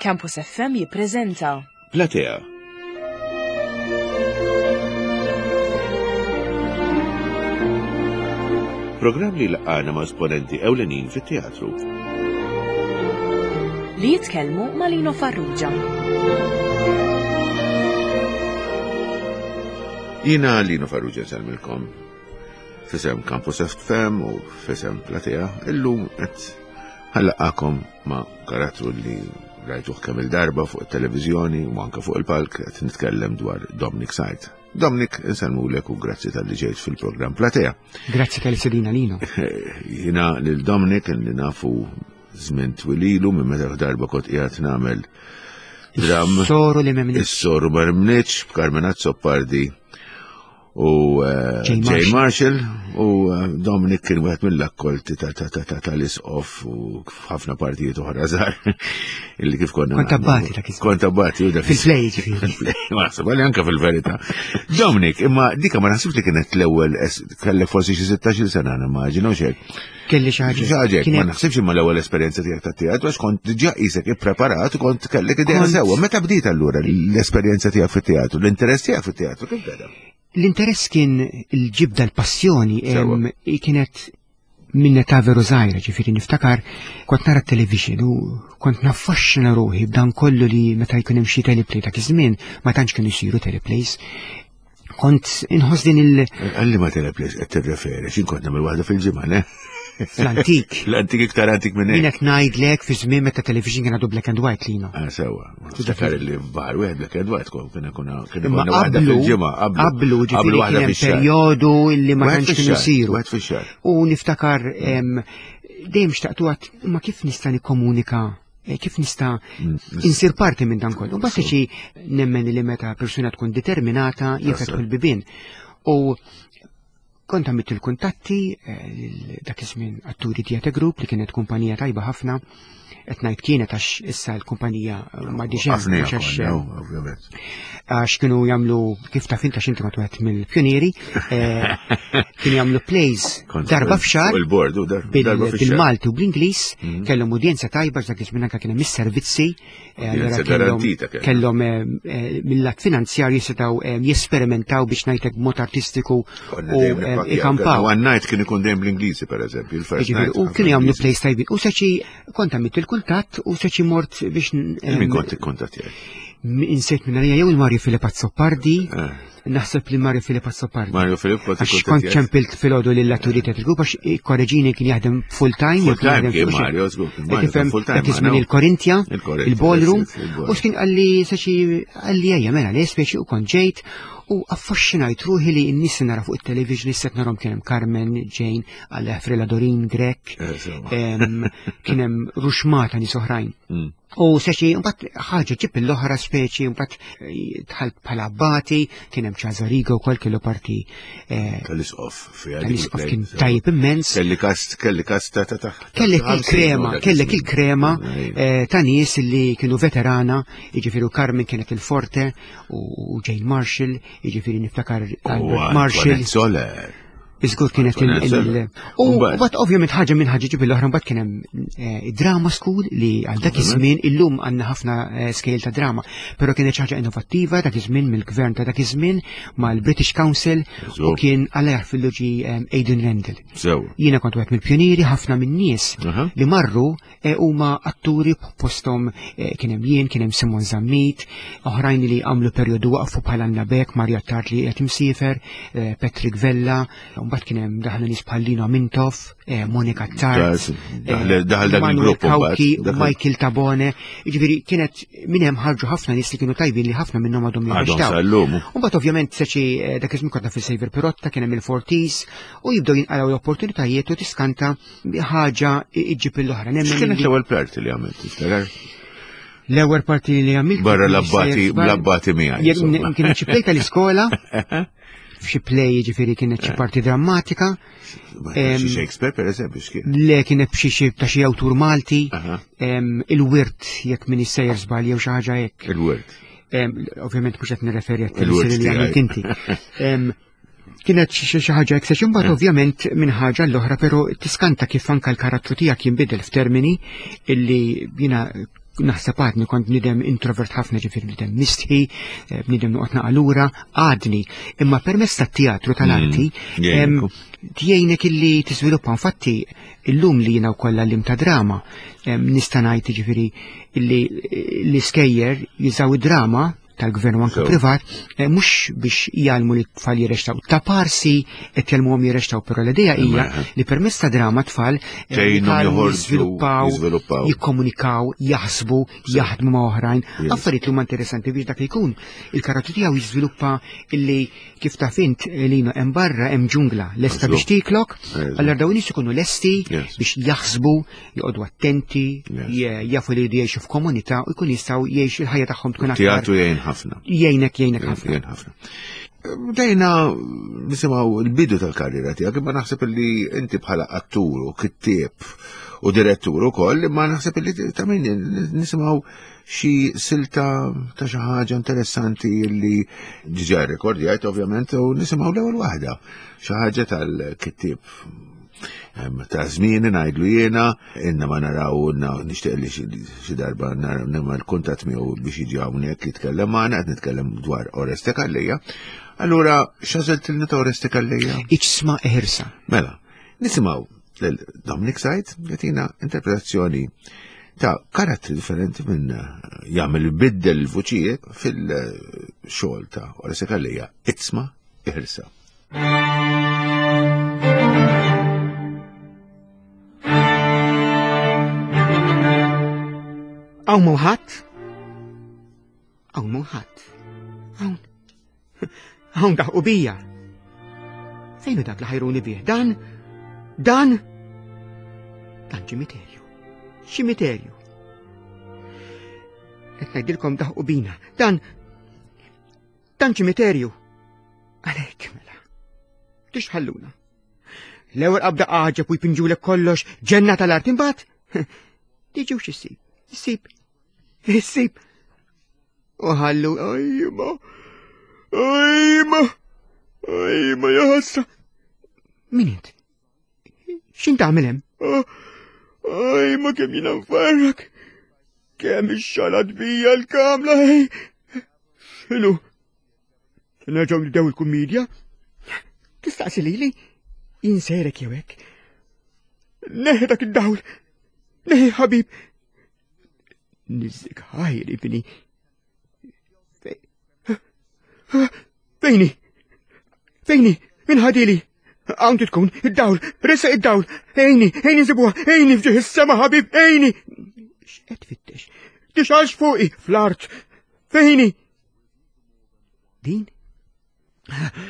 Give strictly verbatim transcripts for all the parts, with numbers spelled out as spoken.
Campus F M jippreżenta Platea. Programm li laqgħana ma' esponenti ewlenin fit-teatru. Li jitkellmu ma' Lino Farrugia. Jiena Lino Farrugia nsellmilkom f'isem Campus F M u f'isem Platea. Illum qed ħallaqakom ma' karattru li rajtuh kemm il-darba fuq it-televiżjoni u anke fuq il-palk, qed nitkellem dwar Dominic Said. Dominic, insellmulek u grazzi tal-li ġejt fil-programm Platea. Grazzi tal-li sedina Lino. Jiena lil Dominic li nafu żmien twililu minn meta darba kont qiegħed nagħmel dram. Is-soru li m'hemmx. Is-soru ma rmnitx b'Carmen Azzopardi u, eh, Jane Jane Marshall. Marshall u, eh, Dominic kien wieħed mill-akkolti ta', ta', ta', ta', tal-isqof u ħafna partijiet oħra żgħar illi kif konna Kont nagħmlu. abbati dak iż-żmien. Kont abbati, u dak Fil-play, ġifieri. Fil-play, ma naħseb, għalli anke fil-verità. Dominic, imma dika ma naħsibx li kienet l-ewwel es-, kellek forsi xi sittax-il sena nimmaġina u xejn. Kelli xi ħaġa. Xi ħaġa hekk, ma Kienet naħsibx imma l-ewwel esperjenza tiegħek tat-teatru għax kont diġà qisek ippreparat u kont kellek idea Kont sewwa. Meta bdiet allura l-esperjenza tiegħek fit-teatru, l-interess tiegħek fit-teatru kif beda? L-interess kien il-ġibda, l-passjoni, Sewwa. em, kienet minn età veru żgħira, ġifieri niftakar kont nara t-television u kont naffaxxina ruħi b'dan kollu li meta jkun hemm xi teleplay dak iż-żmien ma tantx kienu jsiru teleplays. Kont inħoss din il- Għalli ma teleplays qed tirreferi, x'in kont nagħmel waħda fil-ġimgħa, ne? Fl-antik. L-antik iktar antik minn hekk. Min qed ngħidlek fi żmien meta television kien għadu black and white lina. Ah, sewwa. Niftakar li f'bar wieħed black and white kont kien ikun kien Imma ikun waħda qablu, fil-ġimgħa, qablu. qablu, ġifieri Qablu waħda kien hemm fix-xahar. perjodu illi ma Wieħed tantx kienu fix-xahar, jsiru. Wieħed fix-xahar. U niftakar, em, dejjem xtaqtu għat, ma kif nista' nikkomunika, eh, kif nista' Mm, insir parti minn dan kollu. Mbagħad xi nemmen li meta persuna tkun determinata jifetħu l-bibien. U kont għamilt il-kuntatti, eh, lil dak iż-żmien Atturi Theatre Group li kienet kumpanija tajba ħafna, qed ngħid kienet għax issa l-kumpanija m'għadix hemm, Ħafna mhux għax, konna, oh, ovvjament. għax kienu jagħmlu, kif taf inta x'inti kont wieħed mill-pjonieri, eh, kienu jagħmlu plays Kont darba fuq f'xahar il-board, u dar- bil- darba fix-xahar. bil-Malti u bl-Ingliż, Mhm. kellhom udjenza tajba għax dak iż-żmien anke kien hemm is-servizzi, eh, allura Udjenza kellhom garantita kellhom. kellhom, eh, eh, mill-lat finanzjarju setgħu, eh, jesperimentaw biex ngħidlek b'mod artistiku Konna u, dejjem eh, nippakkjaw. ikampaw. One night kien ikun dejjem bl-Ingliżi, per eżempju, il-first Jiġifieri, night u kien kienu jagħmlu bl-Ingliżi. plays tajbin. U saċi kont għamilt il-kuntatt u saċi mort biex n-, Min em, kont ikkuntattjaj? m-, insejt minn għalija jew il-Mario Filip Azzopardi, Eh. naħseb li Mario Filip Azzopardi. Mario Filip kont Għax kont ikkuntattjaj? ċempilt filgħodu lill-Atturi Theatre Group għax korreġini kien jaħdem full time, jew Full kien time jaħdem kien fuq xi- Mario, żgur, kien Qed Mario tifhem, kien full time, dak iż-żmien ma' il-Korintja, Il-Korintja, il-ballroom, yes, yes, il-ballroom. u x'kien qalli saċi qalli ejja mela le speċi u kont ġejt u affaxxinajt ruħi li n-nies nara fuq it-television issa qed narhom kien hemm Carmen, Jane, għal Frela Dorin Grech, Eh, insomma. em, kien hemm ruxmata nies oħrajn. Mm. U saċi, mbagħad ħaġa ġib l-oħra speċi, mbagħad, eh, dħalt bħala abbati, kien hemm Ċażarigo wkoll kellu parti, eh, Tal-isqof fiha dik tal-isqof il-play, kien so. tajjeb immens. Kelli kast, kelli kast ta' ta' ta' Kellek ta' il-krema, ħamsin, kellek dak il-krema, iż-żmien. eh, ta' nies li kienu veterana, jiġifieri Carmen kienet il-Forte u, u Jane Marshall, jiġifieri niftakar U Albert Marshall. Antoinette Soler. Iżgur kienet il- Antoinette il- Soler. U Mbagħad? mbagħad ovvjament ħaġa minn ħaġa ġib l-oħra, mbagħad kien hemm, eh, drama school li għal dak iż-żmien illum għandna ħafna, eh, scale ta' drama, però kienet xi ħaġa innovattiva dak iż-żmien mill-gvern ta' dak iż-żmien mal-British Council u Sew. kien Alla jaħfirlu ġi, eh, Aidan Randall. Sew. Jiena kont wieħed mill-pjonieri, ħafna min-nies Aha. li marru, eh, huma atturi posthom, eh, kien hemm jien, kien hemm Simon Zammit, oħrajn li għamlu perjodu waqfu bħala Anna Beck, Mario Attard li qed imsiefer, eh, Patrick Vella, u mbagħad kien hemm daħlu nies bħal Lino Mintoff, eh, Monica Tart, Daħal- daħal dak Manuel il-grupp mbagħad. Cauchi, Daħal- Michael Tabone, jiġifieri kienet minn hemm ħarġu ħafna nies li kienu tajbin li ħafna minnhom għadhom Għadhom jirrextaw. sal-lum. U mbagħad ovvjament seċi, eh, dak iż-żmien konna fil-Saviour Pirotta, kien hemm il-Forties, u jibdew jinqalgħu l-opportunitajiet u tiskanta ħaġa iġġib l-oħra. Nemmen X'kienet li l-ewwel parti li għamilt, tiftakar? L-ewwel parti li għamilt Barra kien l-abbati, sejjer żball. l-abbati miegħi, Jekk insomma. kienet xi play tal-iskola, f'xi play jiġifieri kienet xi parti drammatika. Ma kienx xi Em, Shakespeare, per eżempju, x'kien? Le kienet b'xi xi ta' xi awtur Malti, Aha. em, il-wirt jekk min issejjer żball jew xi ħaġa hekk. Il-wirt. Em, ovvjament mhux qed nirreferi għat Il-wirt teleserje li għamilt tiegħi. inti. Em, kienet xi, xi ħaġa hekk, sex imbagħad Eh. ovvjament minn ħaġa l-oħra, però tiskanta kif anke l-karattru tiegħek jinbidel f'termini illi jiena Naħseb għadni kont bniedem introvert ħafna, ġifieri bniedem mistħi, bniedem noqgħod naqalura, għadni. Imma permezz tat-teatru tal-arti tgħinek illi tiżviluppa. Infatti illum li jiena wkoll għallim ta' drama, nista' ngħid ġifieri illi l-iskejjer jużaw id-drama tal-gvern u anke privat, mhux biex jgħallmu li tfal jirrextaw. Ta' parsi qed jgħallmuhom jirrextaw, però l-idea hija li permezz ta' drama tfal jiżviluppaw, jikkomunikaw, jaħsbu, jaħdmu ma' oħrajn, affarijiet li huma interessanti biex dak li jkun. Il-karattru tiegħu jiżviluppa illi kif taf int Lino hemm barra hemm ġungla lesta biex tiklok, allura dawn nies ikunu lesti biex jaħsbu, joqogħdu attenti, jafu li jgħixu f'komunità u jkun jistgħu jgħixu il-ħajja tagħhom tkun aktar. Ħafna. Jgħinek, jgħinek ħafna. Jgħin ħafna. Bdejna nisimgħu l-bidu tal-karriera tiegħek, imma naħseb li inti bħala attur u kittieb u direttur ukoll, imma naħseb li ta' min nisimgħu xi silta ta' xi ħaġa interessanti li diġà rrekordjajt ovvjament, u nisimgħu l-ewwel waħda. Xi ħaġa tal-kittieb ta' żmien ngħidlu jiena, inna ma naraw, nixtieq li xi darba nagħmel kuntatt miegħu biex jiġi hawnhekk jitkellem magħna, qed nitkellem dwar Oreste Calleja. Allura x'għażiltilna ta' Oreste Calleja? Iċsma Eħirsa. Mela, nisimgħu lil Dominic Said jagħtina interpretazzjoni ta' karattri differenti minn jagħmel biddel il-vuċijiet fil-xogħol ta' Oreste Calleja, Iċsma Eħirsa. Hawn mhu ħadd? Hawn mhu ħadd. Hawn. Hawn daħqu bija. Fejn hu dak li ħajruni bih? Dan? Dan? Dan ċimiterju. Ċimiterju. Qed ngħidilkom daħqu bina. Dan. Dan ċimiterju. Għalhekk mela. Tixħalluna. L-ewwel qabda għaġeb u jpinġulek kollox ġenna tal-art imbagħad. Tiġux issib. Issib. Issib. U ħallu. Ajma. Ajma. Ajma ja ħasra. Min int? X'int tagħmel hemm? Ajma kemm jiena nfarrak. Kemm ix-xalat bija l-kamla. X'inhu? Nerġgħu nibdew il-kummedja? Tistaqsi lili? Inserek jew hekk. Neħi dak id-dawl. Neħi ħabib. Niżżik ħajr ibni. Fejni? Fejni? Min ħadili? Hawn tkun, id-dawl, resa id-dawl. Ejni, ejni nsibuha, ejni f'ġieħ is-sema ħabib, ejni. X'qed tfittex? Tixgħalx fuqi fl-art. Fejni? Din?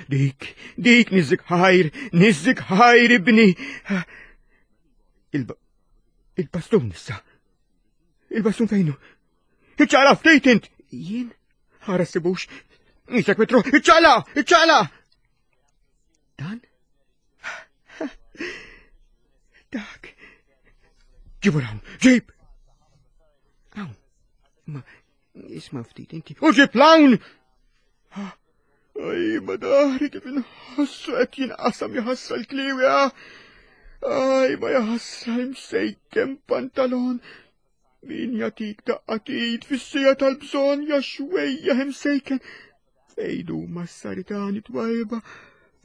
Dik, dik niżżik ħajr, niżżik ħajr ibni. Il-bastun issa. Il-bastun fejnu? Iċċaqla ftit int! Jien? Ħara ssibux. Isek mitru, iċċaqla, iċċaqla! Dan? Dak. Ġibu l-hawn, ġib! Hawn, ma isma' ftit inti. U ġib l-hawn! Aj, ma dahri kif inħossu qed jinqasam jaħassa l-kliwi, Aj, ma jaħassa msejkem pantalon. Min jatik daqqatit fis-sija tal-bżonn ja xwejja imsejken. Fejn huma s-saritani twajba?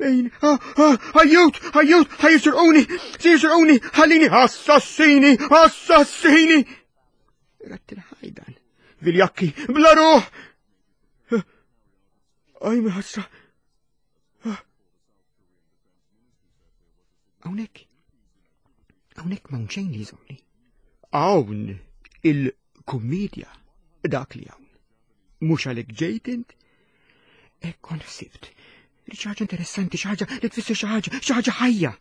Fejn? Ah, ah, ħajjut, ħajjut, ħajjisirquni, sisirquni, ħallini, assassini, assassini. Rat il-ħajdan, viljakki, bla ruħ. Aj, ħasra. Hawnhekk, hawnhekk m'hawn xejn li jżommni. Hawn il-kummedja dak li hawn. Mhux għalhekk ġejt int? Hekk kont ħsibt li xi ħaġa interessanti, xi ħaġa li tfisser xi ħaġa, xi ħaġa ħajja.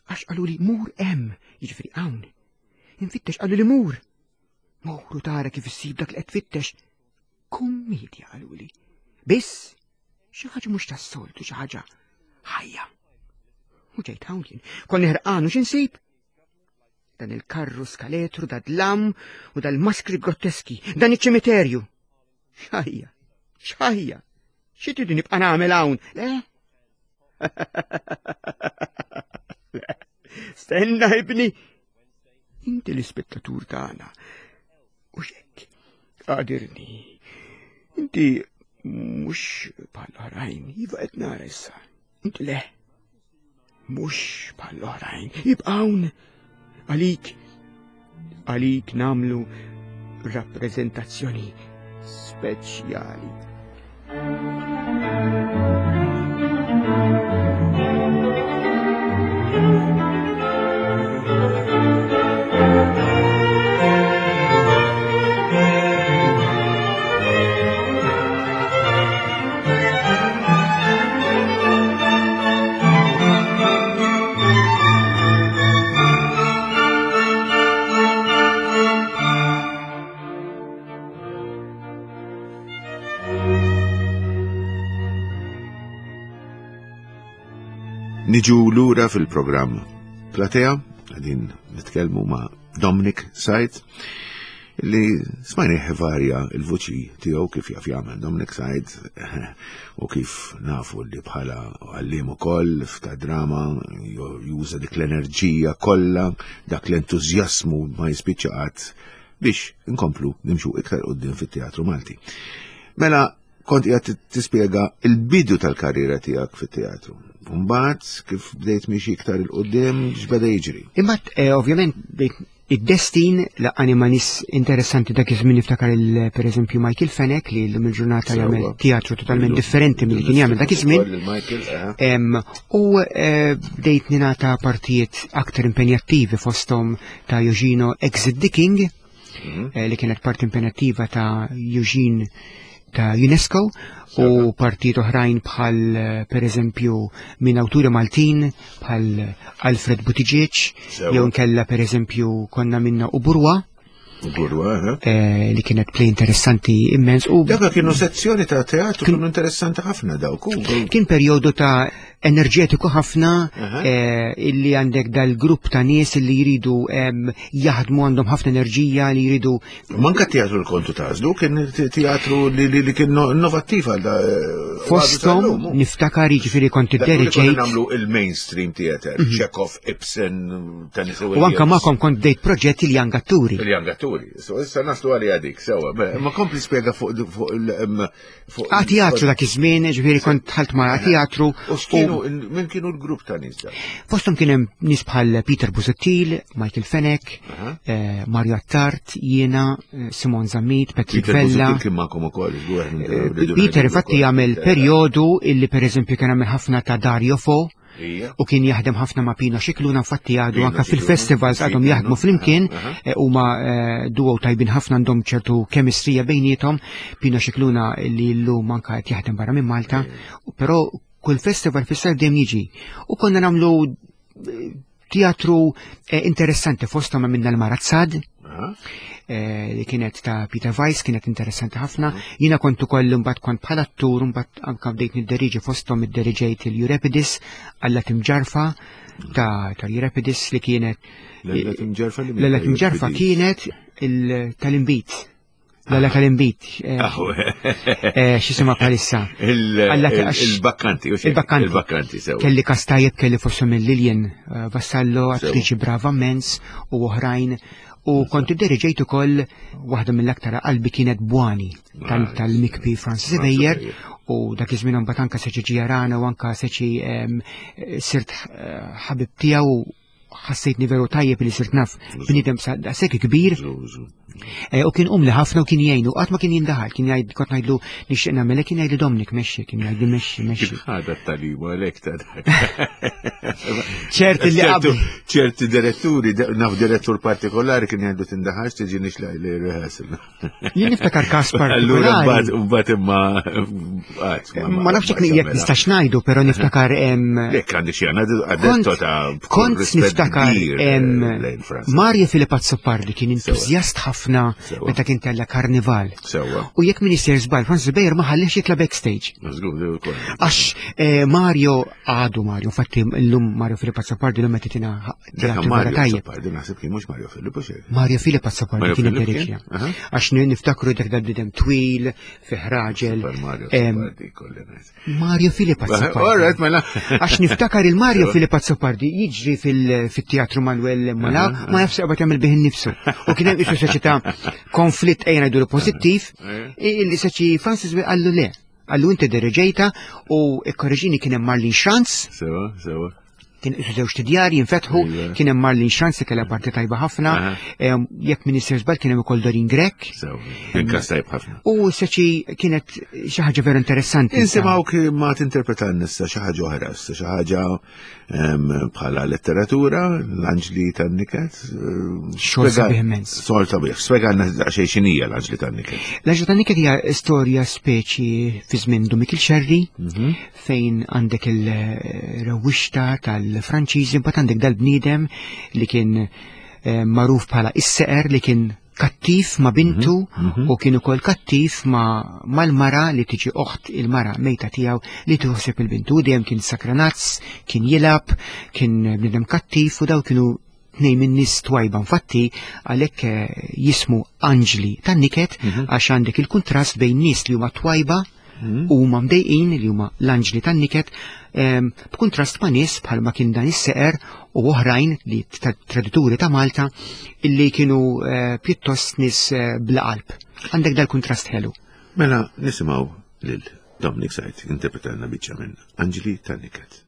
Għax qaluli mur hemm, jiġifieri hawn. Infittex qaluli mur. Mur u tara kif issib dak li qed tfittex. Kummedja qaluli. Biss xi ħaġa mhux tas-soltu, xi ħaġa ħajja. U ġejt hawn jien, konni ħerqan u x'insib? Dan il-karru skaletru, da dlam u dal-maskri grotteski, dan iċ-ċimiterju. X'ħajja, x'ħajja, xi tridu nibqa' nagħmel hawn? Le? Stenna ibni. Inti l-ispettatur tagħna. U xek, għadirni, inti mhux bħall-oħrajn, iva qed nara issa. Inti le, mhux bħall-oħrajn, ibqawn għalik, għalik namlu rappreżentazzjoni speċjali. Niġu lura fil-programm Platea, għadin nitkellmu ma' Dominic Said, li smajni varja il-vuċi tiegħu kif jaf jagħmel Dominic Said u kif nafu li bħala għalliem ukoll f'ta' drama juża dik l-enerġija kollha, dak l-entużjasmu ma jispiċċa qatt biex inkomplu nimxu iktar quddiem fit-teatru Malti. Mela kont qiegħed tispjega il-bidu tal-karriera tiegħek fit-teatru. Mbagħad kif bdejt miexi iktar il quddiem x'beda jiġri. Imbagħad eh, ovvjament bdejt id-destin laqani ma' nies interessanti dak iż-żmien niftakar il pereżempju Michael Fenech li llum il-ġurnata jagħmel teatru totalment differenti milli kien jagħmel dak iż-żmien. Em, U eh, bdejt ningħata partijiet aktar impenjattivi fosthom ta' Eugene Exit the King, eh, li kienet parti impenjattiva ta' Eugene ta' UNESCO u partijiet oħrajn bħal eh, per eżempju minn awturi Maltin bħal Alfred Buttigieg Sewa. jew nkella per eżempju konna minna Uburwa Burwa, eh? eh, li kienet play interessanti immens u Daka kienu sezzjoni ta' teatru kienu interessanti ħafna dawk. u- kien perjodu ta' enerġetiku ħafna Aha. eh, illi għandek dal-grupp ta' nies illi jridu em, jaħdmu għandhom ħafna enerġija li jridu Manka teatru l-kontu tażlu, kien te- teatru li, li, li kien no- innovattiv għal da. eh, fosthom għadu tal-lum. niftakar jiġifieri kont Dak li konna idderġejt nagħmlu il-mainstream theater, Chekhov, Ibsen, Tennessee u anka Williams. magħkom kont bdejt proġetti li Young Atturi. Il-Young Atturi. So issa naslu għali għadik, sewa. Mela, Ma kompli spjega fuq fuq il em, fuq A teatru dak iż-żmien, ġifieri kont dħalt ma' teatru U x'kienu min kienu l-grupp ta' nies dak? Fosthom kien hemm nies bħal Peter Busuttil, Michael Fenech, Aha. eh, Mario Attard, jiena, eh, Simon Zammit, Patrick Peter Vella. Busuttil kien magħkom ukoll, żgur, Eh, rridu Peter ngħidu infatti wkoll. jagħmel perjodu illi pereżempju kien għamel ħafna ta' Dario Fo Ija. u kien jaħdem ħafna ma' Pino Scicluna, infatti għadu Pino anka Scicluna, fil-festivals għadhom sì, jaħdmu Pino, flimkien, aha, eh, huma eh, duo tajbin ħafna għandhom ċertu kemistrija bejniethom. Pino Scicluna li llum anka qed jaħdem barra minn Malta, però kull festival fis-sajf dejjem jiġi. U konna nagħmlu eh, teatru eh, interessanti fosthom minna l-Marazzad, Aha. eh, li kienet ta' Peter Weiss, kienet interessanti ħafna. Jiena kont ukoll imbagħad kont bħala attur, imbagħad anka bdejt nidderiġi fosthom idderiġejt il-Euripidis Alla Timġarfa ta' ta' Euripidis li kienet L-Alla Timġarfa li L-Alla Timġarfa kienet il- tal-imbit. L-Alla tal-imbit. eh, eh, X'jisimha bħalissa. Alla ta' għax- Il-bakkanti, u xejn. Il-bakkanti. Il-bakkanti, sewa. Kelli kastajjeb kelli fosthom il-Lillian eh, Vassallo, Sewa. attriċi brava immens u oħrajn. U kont idderiġejt ukoll waħda mill-aktar qalbi kienet Bwani tal- Ah, tal-Mikpi Francis Francis Ebejer Ebejer. u dak iż-żmien imbagħad anka seċi ġjarana u anka seċi em, sirt eh, ħabib tiegħu ħassejtni veru tajjeb li sirt naf bniedem sa- daqshekk kbir Żu, żu. Eh, u kien umli ħafna u kien jgħinu, qatt ma kien jindaħal, kien jgħid kont ngħidlu nixtieq nagħmel kien jgħidli Dominic mexxi, kien jgħidli mexxi mexxi. Kif ħada t-talim għalek ta' dak. ċert li ċertu qabel. ċerti diretturi, naf direttur partikolari kien jgħidu tindaħax tiġi nixlaq li rehearsal. Jien niftakar każ Allura partikolari. mbagħad mbagħad imma qatt Ma nafx jekk jekk nistax ngħidu, però niftakar em, Jekk għandi xi għandetto ta' kont niftakar em, lejn Franza. Mario Filip Azzopardi kien entużjast ħafna Sewa. meta kien tella karnival. Sewa. U jekk Minister żball, Francis Bejer ma ħallix jitla backstage. Żgur, ukoll. Għax eh, Mario għadu Mario, infatti llum Mario Filip Azzopardi llum qed titina Dak teatru vera Mario tajjeb. Azzopardi naħseb kien mhux Mario Filippo xejn. Mario Filip Azzopardi Mario kien Filip id-diriġja. kien? Aha. Għax ni- niftakru dak dal-bidem twil, fih raġel. Super Mario em, Azzopardi kolli ngħid. Mario Filip All Azzopardi. right, mela. Għax niftakar il-Mario Sewa. Filip Azzopardi jiġri fil- fit-teatru Manuel Molaw, ma jafx qabad jagħmel bih innifsu. U kien hemm isu soċjetà konflitt ejja ngħidu pożittiv, illi saċi Francis Way qallu le. Qallu inti diriġejta u ikkorreġini kien hemm Marlene Schranz. Sewa, sewa. Kien isu żewġ tidjar jinfetħu, kien hemm Marlene Schranz li kellha parti tajba ħafna, jekk Minister żball kien hemm ukoll Doreen Grech. Kien kas tajb ħafna. U seċi kienet xi ħaġa veru interessanti. Insimgħu ma tinterpreta nissa xi ħaġa oħra, xi ħaġa bħala letteratura, l-Anġli tan-Niket. Xogħol sabiħ immens. Xogħol sabiħ. Spjegalna daqsxejn x'inhija l-Anġli tan-Niket. L-Anġli tan-Niket hija storja speċi fi żmien Dun Mikiel Xerri, fejn għandek il-rewwixta tal l-Franċiżi, mbagħad għandek dal-bniedem li kien magħruf bħala is-seqer li kien kattiv ma' bintu u kien ukoll kattiv ma' mal-mara li tiġi oħt il-mara mejta tiegħu li tuħseb il-bintu. Dejjem kien sakranazz, kien jilab, kien bniedem kattiv u daw kienu tnejn minn nies twajba. Infatti għalhekk jismu Anġli tan-Niket għax għandek il-kuntrast bejn nies li huma twajba u huma mdejqin li huma l-Anġli tan-Niket b'kuntrast ma' nies bħalma kien dan is-seqer u oħrajn li tradituri ta' Malta illi kienu pjuttost nies bla qalb. Għandek dal-kuntrast ħelu. Mela nisimgħu lil Dominic Said interpretalna biċċa minn Anġli tan-Niket.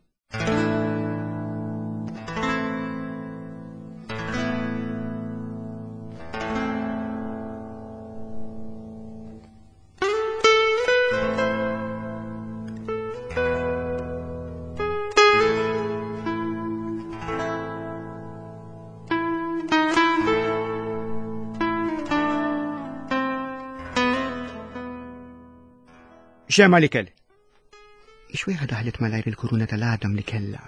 Xema li kell. Ixwejħa daħlet malajr il-kuruna tal-għadam li kella.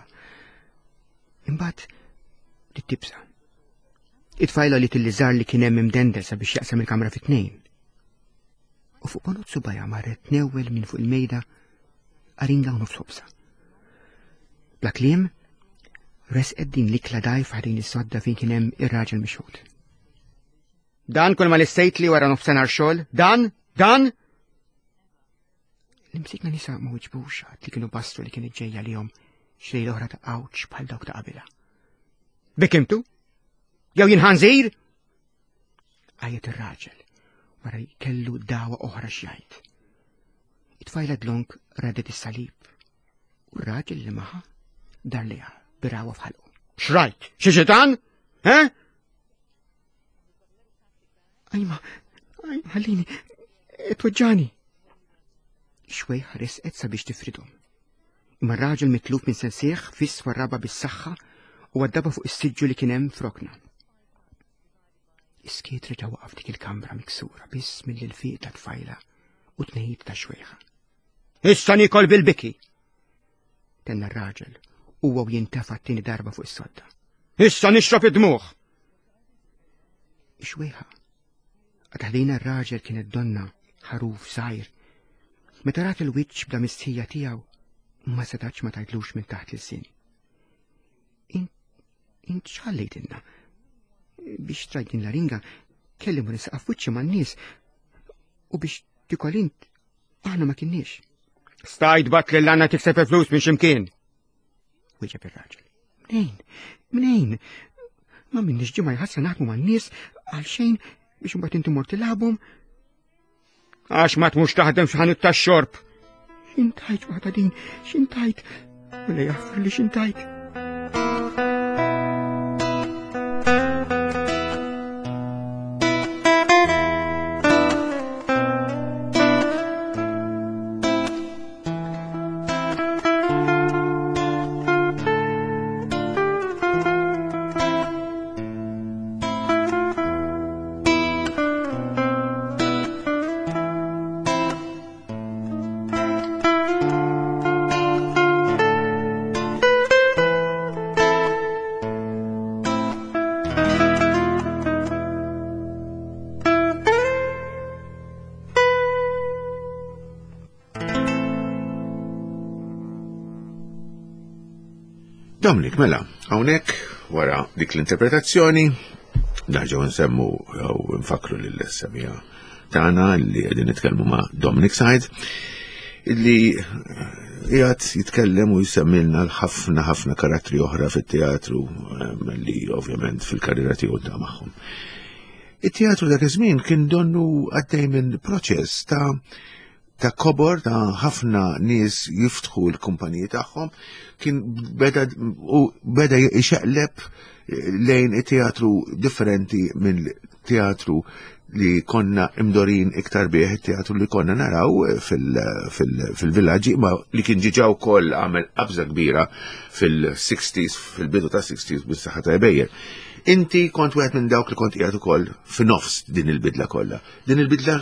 Imbagħad tibsa. It-tfajla li tilliżar li kien hemm imdendel sabiex jaqsam il-kamra fi tnejn. U fuq ponot subajha marret tnewwel minn fuq il-mejda aringa u nofs ħobsa. Bla kliem, resqet din l-ikla dajfa ħdejn is-sodda fejn kien hemm ir-raġel mixħut. Dan kull ma lissejt li wara nofsinhar xogħol, dan, dan! L-imsikna nisa ma wiġbux għad li kienu bastru li kienet ġejja lihom xlejla oħra ta' għawċ bħal dawk ta' qabilha. Bikimtu? Jew jien ħanżir? Għajet ir-raġel wara kellu dawa oħra x'jgħid. It-tfajla dlonk radet is-salib u r-raġel li maħa dar liha birawa f'ħalqu. X'rajt? Xi xitan? He? Ajma, ajma, ħallini, tweġġani. Xwejħa resqet sabiex tifridhom. Imma r-raġel mitluf minn sensieħ fiss warraba bis-saħħa u għaddaba fuq is-siġġu li kien hemm f'rokna. Iskiet reġa' waqaf dik il-kamra miksura biss mill-ilfiq ta' tfajla u tnejjid ta' xwejħa. Issa nikol bil-biki! Tenna r-raġel huwa u jintefa' t-tieni darba fuq is-sodda. Issa nixrob id-dmugħ! Ix-xwejħa għad ħdejna r-raġel kienet donna ħaruf żgħir. Meta rat il-wiċċ bla mistħija tiegħu, ma setax ma tgħidlux minn taħt l-sin. Int x'ħallejtilna? Biex trajt din l-aringa, kelli mur insaqaf wiċċi man-nies u biex tikol int aħna ma kinniex. Stajt bat lil għandna tikseb il-flus minn x'imkien. Wieġeb ir-raġel. Mnejn, mnejn, ma minniex ġimgħa jħassa naħdmu man-nies għal xejn biex imbagħad inti mort tilgħabhom. Għax ma tmux taħdem f'ħanut tax-xorb. X'intajt waħda din, x'intajt? Wala jaffri li x'intajt. Dominic, mela, hawnhekk wara dik l-interpretazzjoni, nerġgħu nsemmu jew nfakru lil semija tagħna li qegħdin nitkellmu ma' Dominic Said. Illi qiegħed jitkellem u jsemmilna l-ħafna ħafna karattri oħra fit-teatru li ovvjament fil-karriera tiegħu ta' magħhom. It-teatru dak iż-żmien kien donnu għaddej minn proċess ta' ta' kobor ta' ħafna nies jiftħu l-kumpaniji tagħhom, kien beda u beda ixeqleb lejn it-teatru differenti minn teatru li konna imdorin iktar bih, teatru li konna naraw fil-villaġġi, ma li kien ġiġa wkoll għamel qabża kbira fil-sixties, fil-bidu ta' sixties bis-saħħa ta' Ebejer. Inti kont wieħed minn dawk li kont qiegħed ukoll f'nofs din il-bidla kollha. Din il-bidla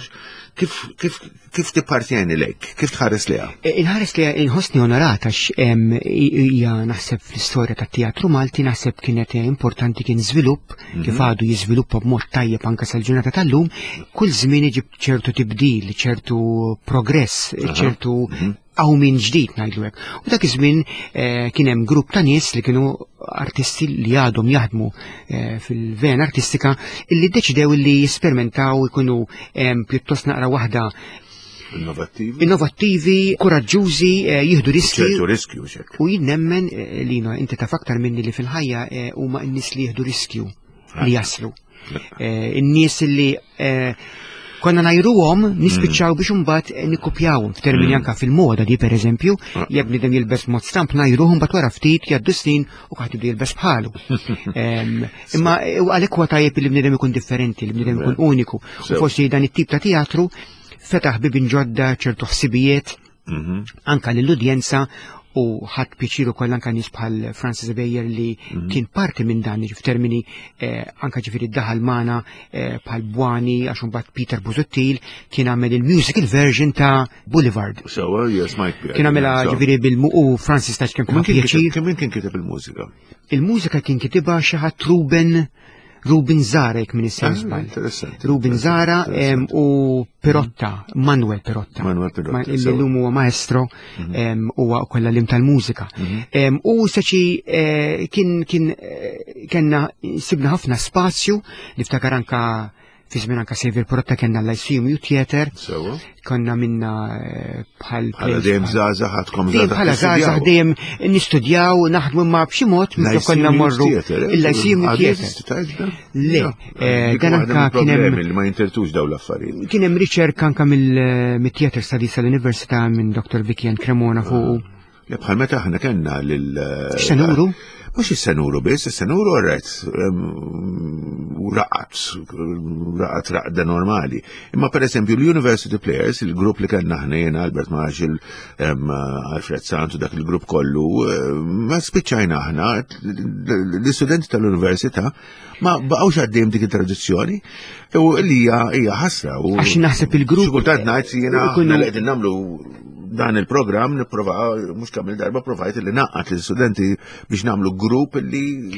kif kif kif tippartjeni lejk? Kif tħares liha? Inħares liha inħossni onorata għax hija naħseb fl-istorja tat-teatru Malti naħseb kienet importanti, kien żvilupp kif għadu jiżviluppa b'mod tajjeb anke sal-ġurnata tal-lum. Kull żmien iġib ċertu tibdil, ċertu progress, ċertu għaw minn ġdid ngħidlu hekk. U dak iż-żmien kien hemm grupp ta' nies li kienu artisti li għadhom jaħdmu fil-vena artistika illi ddeċidew li jesperimentaw, ikunu pjuttost naqra waħda innovattivi, innovattivi, kuraġġużi, jieħdu riski. ċertu riskju xek. U jien nemmen Lino, inti taf aktar minni li fil-ħajja huma n-nies li jieħdu riskju li jaslu. In-nies li konna najruhom nispiċċaw biex imbagħad nikkupjawhom f'termini anka fil-moda di pereżempju, jekk bniedem jilbes mod stamp najruhom mbagħad wara ftit jgħaddu snin u kulħadd jibda jilbes bħalu. Imma għalhekk huwa tajjeb li bniedem ikun differenti, li bniedem ikun uniku. U forsi dan it-tip ta' teatru fetaħ bibien ġodda, ċertu ħsibijiet anka lill-udjenza, u ħadd pjaċir ukoll anka nies bħal Francis Ebejer li kien parti minn dan f'termini anka ġifieri daħal magħna bħal Bwani, għax imbagħad Peter Busuttil kien għamel il-musical version ta' Boulevard. So, yes, Mike. Kien għamilha ġifieri bil-mu u Francis ta' kemm pjaċir. Kemm kien kiteb il-mużika? Il-mużika kien kitibha xi ħadd Ruben Ruben Zara, jekk minn Ah, interessanti. Ruben Zara u Pirotta, Manuel Pirotta. Manuel Pirotta. Illi llum huwa maestro huwa wkoll għallim tal-mużika. U saċi kien kien kellna sibna ħafna spazju, niftakar anka fi żmien anka Xavier Pirotta kellna l-Lyceum Youth Theatre. Sewa. Konna minna bħal Bħala dejjem żgħażagħ ħadkom Dejjem bħala żgħażagħ dejjem nistudjaw, naħdmu ma b'xi mod meta konna morru il-Lyceum Youth Theatre. Le, dan anka kien hemm li ma jintertux dawn l-affarijiet. Kien hemm riċerka anka mill-Theatre Studies tal-Università minn Doktor Vicky Ann Cremona fuq. Le bħal meta aħna kellna lil X'senuru? Mhux is-senuru biss, is-senuru rret u raqat, raqat raqda normali. Imma per eżempju l-University Players, il-grupp li kellna aħna jiena, Albert Marshall, Alfred Santu, dak il-grupp kollu, ma spiċċajna aħna, l-istudenti tal-università ma baqgħux għaddejjem dik it-tradizzjoni u li hija ħasra. Għax naħseb il-grupp. Xi kultant ngħid jiena aħna li qegħdin nagħmlu dan il-programm nipprova, mhux kemm il-darba provajt li naqqat l-istudenti biex nagħmlu grupp li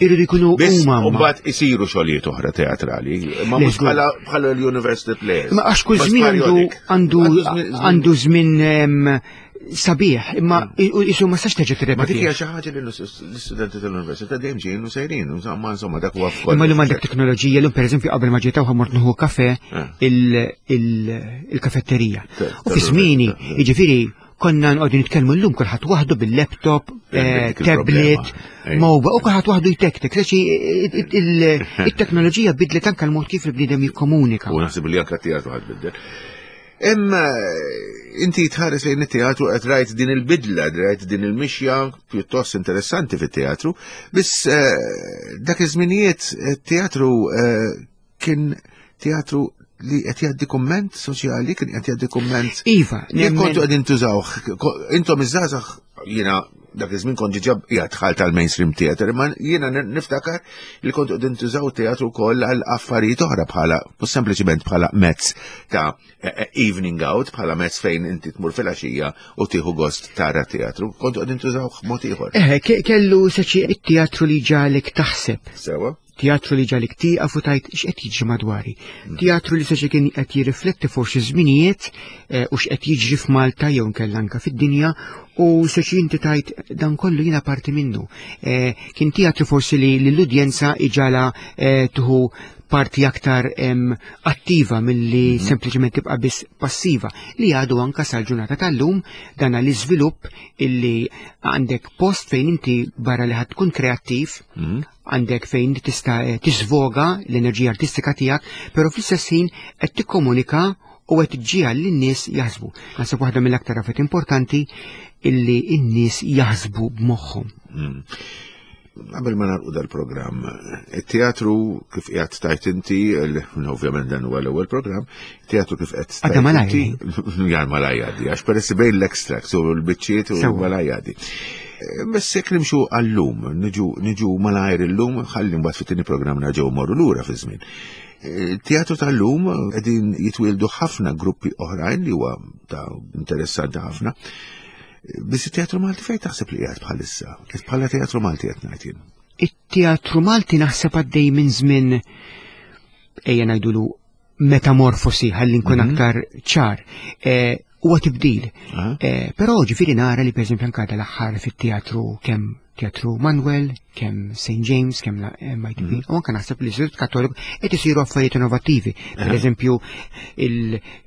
irridu jkunu huma. U mbagħad isiru xogħlijiet oħra teatrali, ma mhux bħala bħala l-University Players. Ma għax kull żmien għandu għandu żmien sabiħ, imma isu ma sax terġa' tirrepeti. Ma dik hija xi ħaġa li l-istudenti tal-università dejjem ġejjin u sejrin, insomma, insomma dak huwa f'kollox. Imma llum għandek teknoloġija, llum pereżempju qabel ma ġejt hawn mort nieħu kafe il-kafetterija. U fi żmieni, jiġifieri konna nqogħdu nitkellmu llum kulħadd waħdu bil-laptop, tablet, mobile, u kulħadd waħdu jtektek. Leċi it-teknoloġija bidlet anke l-mod kif il-bniedem jikkomunika. U naħseb li anke t-teatru ħadd biddel. Imma inti tħares lejn it-teatru qed rajt din il-bidla, rajt din il-mixja pjuttost interessanti fit-teatru, biss dak iż-żminijiet it-teatru kien teatru li qed jgħaddi kumment soċjali, kien qed jgħaddi kumment. Iva, jekk kontu qegħdin tużawh, intom iż-żgħażagħ, jiena dak iż-żmien kont diġà qiegħed dħalt tal-mainstream theater, imma jiena niftakar li kontu qegħdin tużaw teatru wkoll għal affarijiet oħra bħala, mhux sempliċiment bħala mezz ta' evening out, bħala mezz fejn inti tmur filgħaxija u tieħu gost tara teatru, kontu qegħdin tużawh mod ieħor. Eh, kellu seċi it-teatru li ġalek taħseb. Sewa. Teatru li ġalik tieqaf u tajt x'qed jiġri madwari. Teatru li seċi kien qed jirrifletti forsi żminijiet u x'qed jiġri f'Malta jew nkella anke fid-dinja, u seċi inti tajt dan kollu jiena parti minnu. Kien teatru forsi li l-udjenza iġala tuħu parti aktar em, attiva milli mm -hmm. sempliċement tibqa' biss passiva, li għadu anka sal-ġurnata tal-lum dan l-iżvilupp illi għandek post fejn inti barra li ħad tkun kreattiv, mm -hmm. għandek fejn tista' tiżvoga l-enerġija artistika tiegħek, però fl-istess ħin qed tikkomunika u qed iġġiegħel lin-nies jaħsbu. Naħseb waħda mill-aktar affarijiet importanti illi n-nies jaħsbu b'moħħhom. Mm. Qabel ma nagħlqu dal-programm, it-teatru kif qiegħed tajt inti, ovvjament dan huwa l-ewwel programm, teatru kif qed tajt inti, jar malaj għaddi, għax peress bejn l-extracts u l-biċċiet u malaj għaddi. Bess jekk nimxu għall-lum, niġu malajr illum, ħalli mbagħad fit-tieni programm nerġgħu morru lura fi żmien. Teatru tal-lum qegħdin jitwieldu ħafna gruppi oħrajn li huwa ta' interessanti ħafna. Biss it-teatru Malti fejn taħseb li qiegħed bħalissa? Bħala teatru Malti qed ngħid jien. It-teatru Malti naħseb għaddej minn żmien ejja ngħidulu metamorfosi ħalli nkun aktar ċar. Huwa tibdil. Però ġifieri nara li pereżempju anke l-aħħar fit-teatru kemm Teatru Manuel, kemm Saint James, kemm la M I T P, u anke naħseb li l-Istitut Kattoliku qed isiru affarijiet innovattivi. Per eżempju,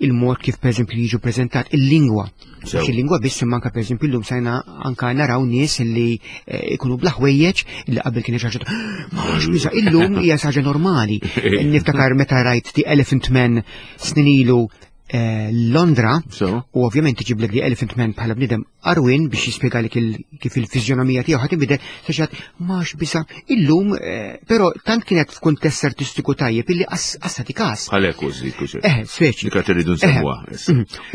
il-mod kif pereżempju jiġu preżentat il-lingwa. Mhux il-lingwa biss imma anke pereżempju llum sajna anke naraw nies li ikunu bla ħwejjeġ li qabel kien xi ħaġa mhux biża' illum hija xi ħaġa normali. Niftakar meta rajt The Elephant Man snin ilu Londra, u ovvjament iġiblek The Elephant Man bħala bniedem arwin biex jispjegalek kif il-fiżjonomija tiegħu ħadd inbidel, saċat max bisa illum, però tant kienet f'kuntest artistiku tajjeb illi assati każ. Għalhekk użi kuxi. Eh, speċi. Dik qed irridu nsemmuha.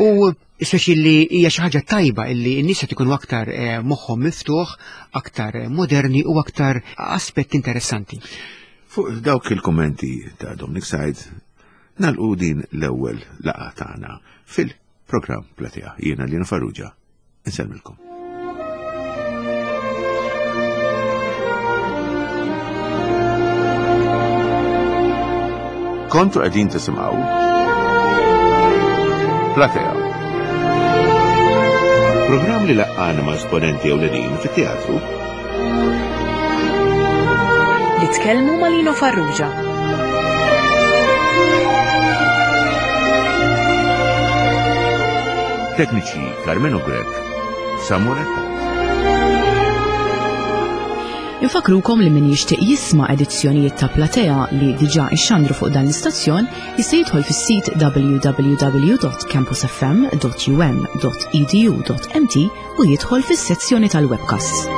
U speċi li hija xi ħaġa tajba illi n-nies qed ikunu aktar moħħhom miftuħ, aktar moderni u aktar aspetti interessanti. Fuq dawk il-kummenti ta' Dominic Said, nalqu din l-ewwel laqgħa tagħna fil-programm Platea. Jiena Lino Farrugia, insellmilkom. Kontu qegħdin tisimgħu Platea. Programm li laqqana ma' esponenti ewlenin fit-teatru. Li tkellmu ma' Lino Farrugia. Tekniċi Carmelo Grech, Samuel Attard. Infakrukom li min jixtieq jisma' edizzjonijiet ta' Platea li diġà ixxandru fuq dan l-istazzjon jista' jidħol fis-sit w w w dot campus f m dot u m dot e d u dot m t u jidħol fis-sezzjoni tal-webcasts.